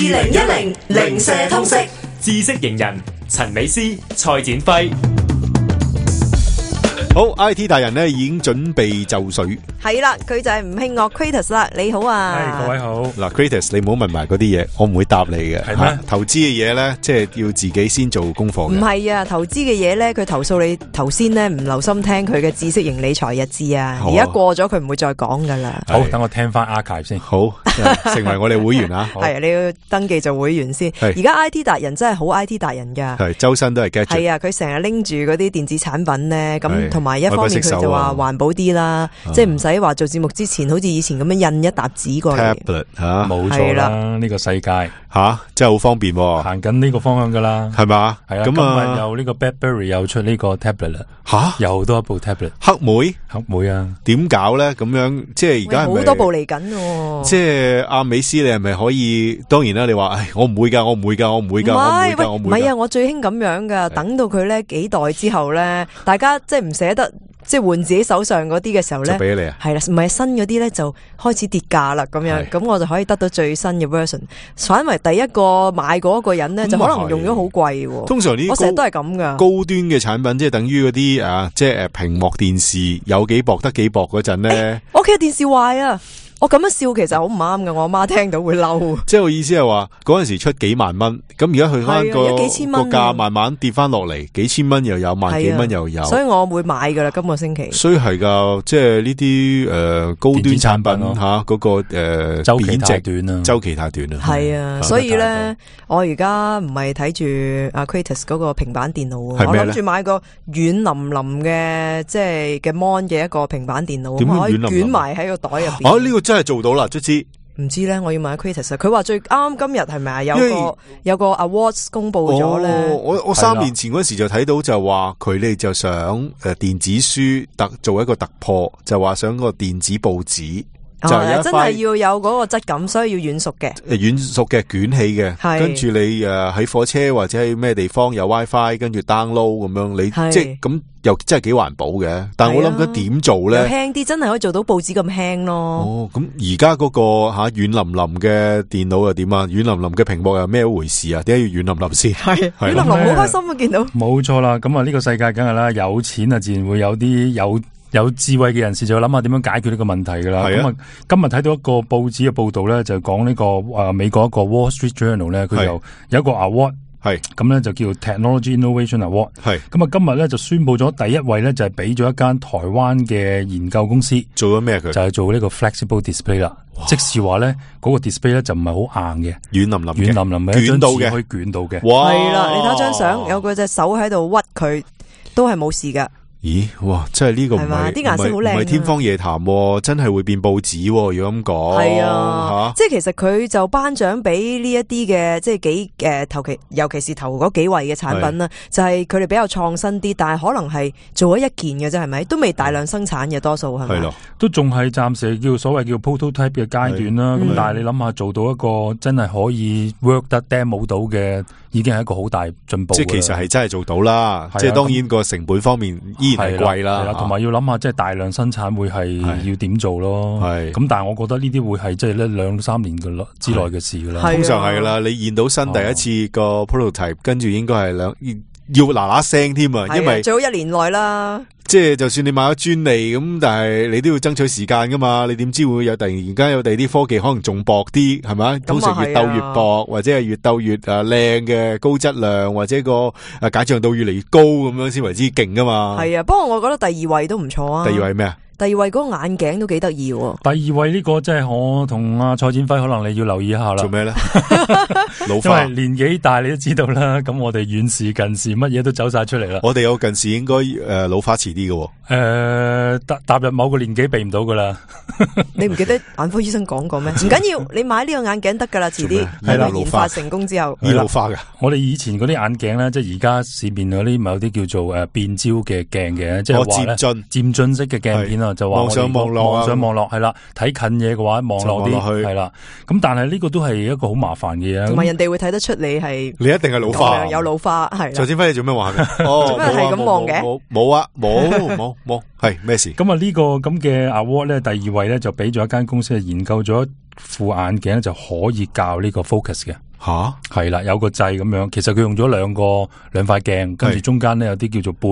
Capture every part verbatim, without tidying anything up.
零一零零舍通識知識型人陳美詩、蔡展輝。好 I T 大人咧已經準備就緒，係啦，佢就係吳慶岳 Kratos 啦。你好啊，係各位好。嗱 Kratos，你唔好問埋嗰啲嘢，我唔會答你嘅。係咩？投資嘅嘢咧，即係要自己先做功課嘅。唔係啊，投資嘅嘢咧，佢投訴你頭先咧唔留心聽佢嘅知識型理財日誌啊。而家過咗佢唔會再講噶啦。好，等我聽翻 archive 先。好，成為我哋會員啊。係啊，你要登記做會員先。而家 I T 達人真係好 I T 達人噶。係周身都係 gadget。係啊，佢成日拎住嗰啲電子產品咧，咁同埋一方面佢就話環保啲啦，啊、即係唔使話做節目之前好似以前咁樣印一沓紙過嚟。tablet 吓，冇錯啦，呢個世界吓真係好方便，行緊呢個方向噶啦，係嘛？係啊，今日又呢個 BlackBerry 又出呢個 tablet 啦，吓又多一部 tablet， 黑莓黑莓啊，點搞咧？咁樣即係而家係咪好多部嚟緊？即係阿美斯，你係咪可以？當然啦，你話唉，我唔會噶，我唔會噶，我唔會噶，我唔會噶，我唔會。唔係啊，我最興咁樣噶，等到佢咧幾代之後咧，大家即係唔捨得。即係換自己手上嗰啲嘅時候咧，就俾你啊，係啦，唔係新嗰啲咧就開始跌價啦，咁樣，咁我就可以得到最新嘅 version。反為第一個買嗰個人咧，就可能用咗好貴。通常呢，我成日都係咁噶。高端嘅產品即係等於嗰啲啊，即係誒屏幕電視有幾薄得幾薄嗰陣咧。我屋企嘅電視壞啊！我咁樣笑其實好唔啱㗎，我阿媽聽到會嬲。即係我意思係話嗰陣時出幾萬蚊，咁而家去翻個幾千蚊個價慢慢跌翻落嚟，幾千蚊又有，萬幾蚊又有。所以我會買噶啦，今個星期。所以係噶，即係呢啲誒高端產品吓，嗰個誒周期太短啊，周期太短啦。係啊，所以咧，我而家唔係睇住阿 Kratos 嗰個平板電腦，我諗住買個軟腍腍嘅，即係嘅 mon 嘅一個平板電腦，可以捲埋喺個袋入邊。啊，呢個真係做到啦，卒之。唔知咧，我要問下 Kratos，佢話最啱今日係咪啊？有個有個 awards 公布咗咧。哦，我我三年前嗰時就睇到就話佢哋就想誒電子書突做一個突破，就話想個電子報紙。哦、就係真係要有嗰個質感，所以要軟熟嘅，誒軟熟嘅捲起嘅，跟住你誒喺火車或者喺咩地方有 WiFi， 跟住 download 咁樣，你即係咁又真係幾環保嘅。但係我諗緊點做咧？輕啲，真係可以做到報紙咁輕咯。哦，咁而家嗰個吓軟腍腍嘅電腦又點啊？軟腍腍嘅屏幕又咩回事啊？點解要軟腍腍先？係軟腍腍好開心啊！見到冇錯啦，咁啊呢個世界梗係啦，有錢啊自然會有啲有。有智慧嘅人士就諗下點樣解決呢個問題噶啦。咁啊，今日睇到一個報紙嘅報道咧，就講呢、這個誒、呃、美國一個 Wall Street Journal 咧，佢有有一個 award， 係咁咧就叫 Technology Innovation Award。係咁啊，今日咧就宣布咗第一位咧，就係俾咗一間台灣嘅研究公司做咗咩？佢就係做呢個 flexible display 啦，即是話咧嗰個 display 咧就唔係好硬嘅，軟腍腍軟腍腍嘅，捲到嘅，可以捲到嘅。係啦，你睇張相，有個隻手喺度屈佢，都係冇事噶。咦，哇！真係呢個唔係啲顏色好靚，唔係天方夜譚，真係會變報紙。如果咁講，係啊，即係其實佢就頒獎俾呢一啲嘅，即係幾誒頭期，尤其是頭嗰幾位嘅產品啦，就係佢哋比較創新啲，但係可能係做咗一件嘅啫，係咪？都未大量生產嘅，多數係咪？係咯，都仲係暫時叫所謂叫 prototype 嘅階段啦。咁但係你諗下，做到一個真係可以 work 得 demo 到嘅，已經係一個好大進步。即係其實係真係做到啦。即係當然個成本方面依然係貴啦，同埋要諗下即係大量生產會係要點做咯。係咁，但係我覺得呢啲會係即係咧兩三年嘅之內嘅事噶啦。通常係噶啦，你現到新第一次個 prototype，跟住應該係兩要嗱嗱聲添啊，因為最好一年內啦。即係就算你買咗專利咁，但係你都要爭取時間噶嘛。你點知會有突然間有第二啲科技可能仲薄啲，係咪？通常越鬥越薄，或者係越鬥越誒靚嘅高質量，或者個誒解像度越嚟越高咁樣先為之勁噶嘛。係啊，不過我覺得第二位都唔錯啊。第二位咩啊？第二位嗰個眼鏡都幾得意喎。第二位呢個即係我同阿蔡展輝可能你要留意一下啦。做咩咧？老花，因為年紀大你都知道啦。咁我哋遠視近視乜嘢都走晒出嚟啦。我哋有近視應該誒、呃、老花遲啲嘅。誒踏踏入某個年紀避唔到噶啦。你唔記得眼科醫生講過咩？唔緊要，你買呢個眼鏡得噶啦，遲啲係啦，研發成功之後醫老花嘅。我哋以前嗰啲眼鏡咧，即係而家市面嗰啲咪有啲叫做誒變焦嘅鏡嘅，即係話咧漸進漸進式嘅鏡片啊。就話望上望落望上望落係啦，睇近嘢嘅話望落啲係啦。咁但係呢個都係一個好麻煩嘅嘢，同埋人哋會睇得出你係你一定係老花，有老花係。蔡展輝你做咩話嘅？做咩係咁望嘅？冇啊，冇冇冇，係咩事？咁啊呢個咁嘅 award 咧，第二位咧就俾咗一間公司係研究咗副眼鏡就可以校呢個 focus 嘅。吓，係啦，有個掣咁樣，其實佢用咗兩個兩塊鏡，跟住中間咧有啲叫做半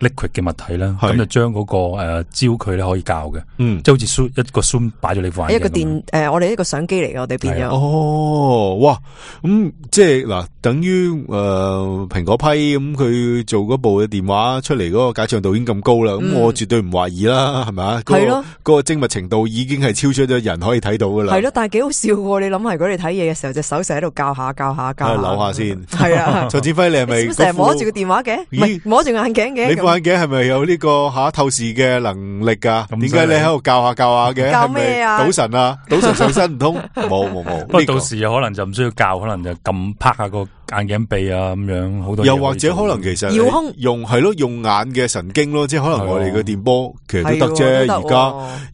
liquid 嘅物體啦，咁就將嗰個誒焦距咧可以校嘅，嗯，即係好似 zoom 一個 zoom 擺咗你塊鏡，一個電誒，我哋一個相機嚟嘅，我哋變咗。哦，哇，咁即係嗱，等於誒蘋果批咁，佢做嗰部嘅電話出嚟嗰個解像度已經咁高啦，咁我絕對唔懷疑啦，係咪啊？係咯，嗰個精密程度已經係超出咗人可以睇到噶啦。係咯，但係幾好笑喎！你諗下，如果你睇嘢嘅時候，隻手成日喺度教下教下教下，扭下先。係啊，蔡展輝，你係咪成日摸住個電話嘅？唔係摸住眼鏡嘅。你副眼鏡係咪有呢個吓透視嘅能力噶？點解你喺度教下教下嘅？教咩啊？賭神啊？賭神上身唔通？冇冇冇。不過到時可能就唔需要教，可能就撳拍下個眼鏡鼻啊咁樣，好多。又或者可能其實遙控用係咯，用眼嘅神經咯，即係可能我哋嘅電波其實都得啫。而家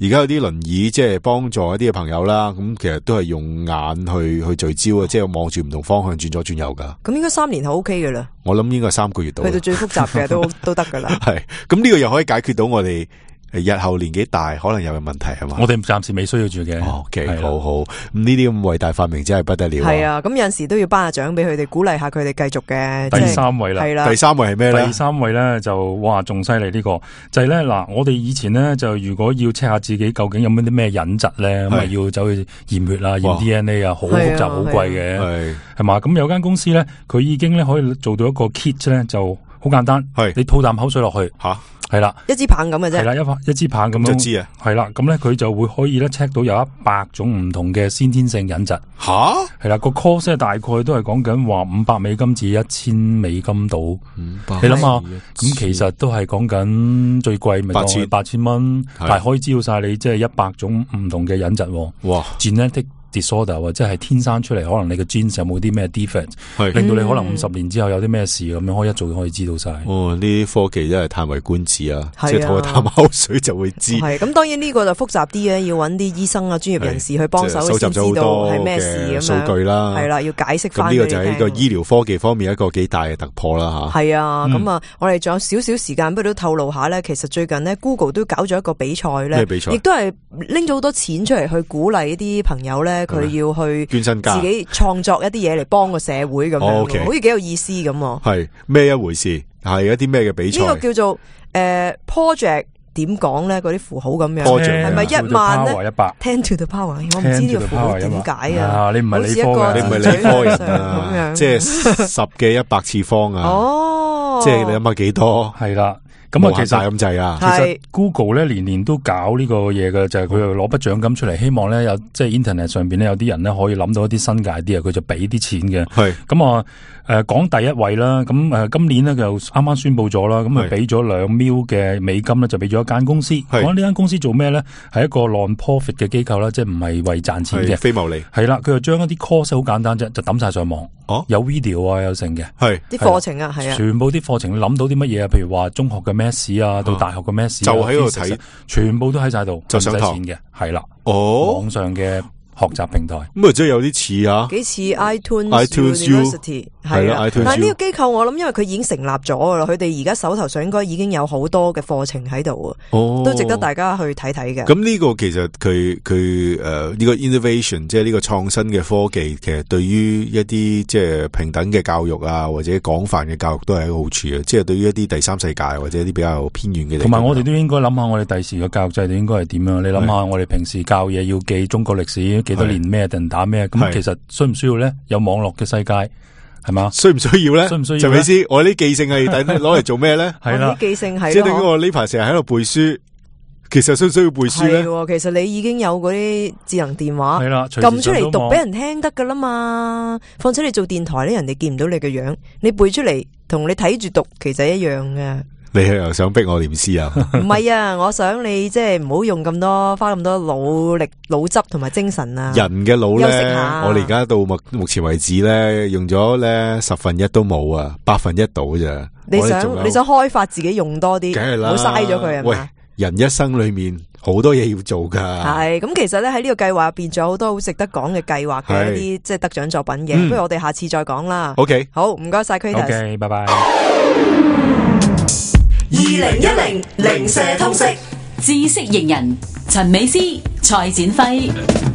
而家有啲輪椅即係幫助一啲嘅朋友啦，咁其實都係用眼去去聚焦啊，即係望住唔同方向轉左轉右噶。咁應該三年係 O K 噶啦。我諗應該三個月到。去到最複雜嘅都都得噶啦。係，咁呢個又可以解決到我哋日後年紀大可能有嘅問題係嘛？我哋暫時未需要住嘅。O K，好好。咁呢啲咁偉大發明真係不得了。係啊，咁有陣時都要頒下獎俾佢哋，鼓勵下佢哋繼續嘅。第三位啦，係啦。第三位係咩咧？第三位咧就哇仲犀利呢個，就係咧嗱，我哋以前咧就如果要 check 下自己究竟有冇啲咩隱疾咧，咁啊要走去驗血啊、驗 D N A 啊，好複雜、好貴嘅，係係嘛？咁有間公司咧，佢已經咧可以做到一個 kit 咧，就好簡單，係你吐啖口水落去吓。係啦，一支棒咁嘅啫。係啦，一一支棒咁樣。一支啊。係啦，咁咧佢就會可以咧 check 到有一百種唔同嘅先天性隱疾。吓？係啦，個 cost 咧大概都係講緊話五百美金至一千美金到。五百。你諗下，咁其實都係講緊最貴咪八千八千蚊，但係可以知道晒你即係一百種唔同嘅隱疾。哇 ！genetic disorder 或者係天生出嚟，可能你嘅 genes 有冇啲咩 defect， 令到你可能五十年之後有啲咩事咁樣，可以一早可以知道晒。哦，呢啲科技真係嘆為觀止啊！即係吐個啖口水就會知。係咁，當然呢個就複雜啲嘅，要揾啲醫生啊、專業人士去幫手先知道係咩事咁樣。數據啦，係啦，要解釋翻。咁呢個就係呢個醫療科技方面一個幾大嘅突破啦，吓。係啊，咁啊，我哋仲有少少時間，不如都透露下咧。其實最近呢 Google 都搞咗一個比賽咧，亦都係拎咗好多錢出嚟去鼓勵一啲朋友咧。佢要去捐身家，自己創作一啲嘢嚟幫個社會咁樣，哦 okay、好似幾有意思咁。係咩一回事？係一啲咩嘅比賽？呢個叫做誒、呃、project 點講咧？嗰啲符號咁樣，係咪一萬咧 ？ten to the power， 我唔知呢個符號點解啊！你唔係理科嘅，你唔係理科人啊！即係十嘅一百次方啊！哦，即係你諗下幾多？係啦。咁啊，其實咁滯啊，其實 Google 咧年年都搞呢個嘢嘅，就係佢又攞筆獎金出嚟，希望咧有即係 Internet 上邊咧有啲人咧可以諗到一啲新嘅 idea，佢就俾啲錢嘅。係咁啊，誒講第一位啦，咁誒今年咧就啱啱宣布咗啦，咁啊俾咗兩 mil 嘅美金咧，就俾咗一間公司。講呢間公司做咩咧？係一個 non-profit 嘅機構啦，即係唔係為賺錢嘅，非牟利。係啦，佢就將一啲 course 好簡單啫，就抌晒上網。哦，有 video 啊，有成嘅，係啲課程啊，係啊，全部啲課程你諗到啲乜嘢啊？譬如話中學嘅咩事啊，到大學嘅咩事，就喺度睇，全部都喺晒度，就唔使錢嘅，係啦，哦，網上嘅學習平台，咁啊，即係有啲似啊，幾似 iTunes University 係啦，但係呢個機構我諗，因為佢已經成立咗噶啦，佢哋而家手頭上應該已經有好多嘅課程喺度啊，哦，都值得大家去睇睇嘅。咁呢個其實佢佢誒呢個 innovation， 即係呢個創新嘅科技，其實對於一啲即係平等嘅教育啊，或者廣泛嘅教育都係一個好處啊。即係對於一啲第三世界或者一啲比較偏遠嘅地方，同埋我哋都應該諗下，我哋第時嘅教育制度應該係點樣？你諗下，我哋平時教嘢要記中國歷史幾多年咩定打咩？咁其實需唔需要咧？有網絡嘅世界。係嘛？需唔需要咧？需唔需要？陳美斯，我啲記性係攞嚟做咩咧？係啦，記性係即係點解我呢排成日喺度背書？其實需唔需要背書咧？其實你已經有嗰啲智能電話，係啦，撳出嚟讀俾人聽得噶啦嘛。況且你做電台咧，人哋見唔到你嘅樣，你背出嚟同你睇住讀，其實一樣嘅。你又想逼我念詩啊？唔係啊，我想你即係唔好用咁多，花咁多腦力、腦汁同埋精神啊！人嘅腦咧，我哋而家到目目前為止咧，用咗咧十分一都冇啊，百分一到咋？你想你想開發自己用多啲，梗係啦，唔好嘥咗佢啊！喂，人一生裏面好多嘢要做噶。係咁，其實咧喺呢個計劃入邊，仲有好多好值得講嘅計劃嘅一啲即係得獎作品嘅。嗯、不如我哋下次再講啦。OK，好，唔該晒 Kratos。OK， 拜拜。二零一零零舍通識知識型人陳美斯蔡展輝。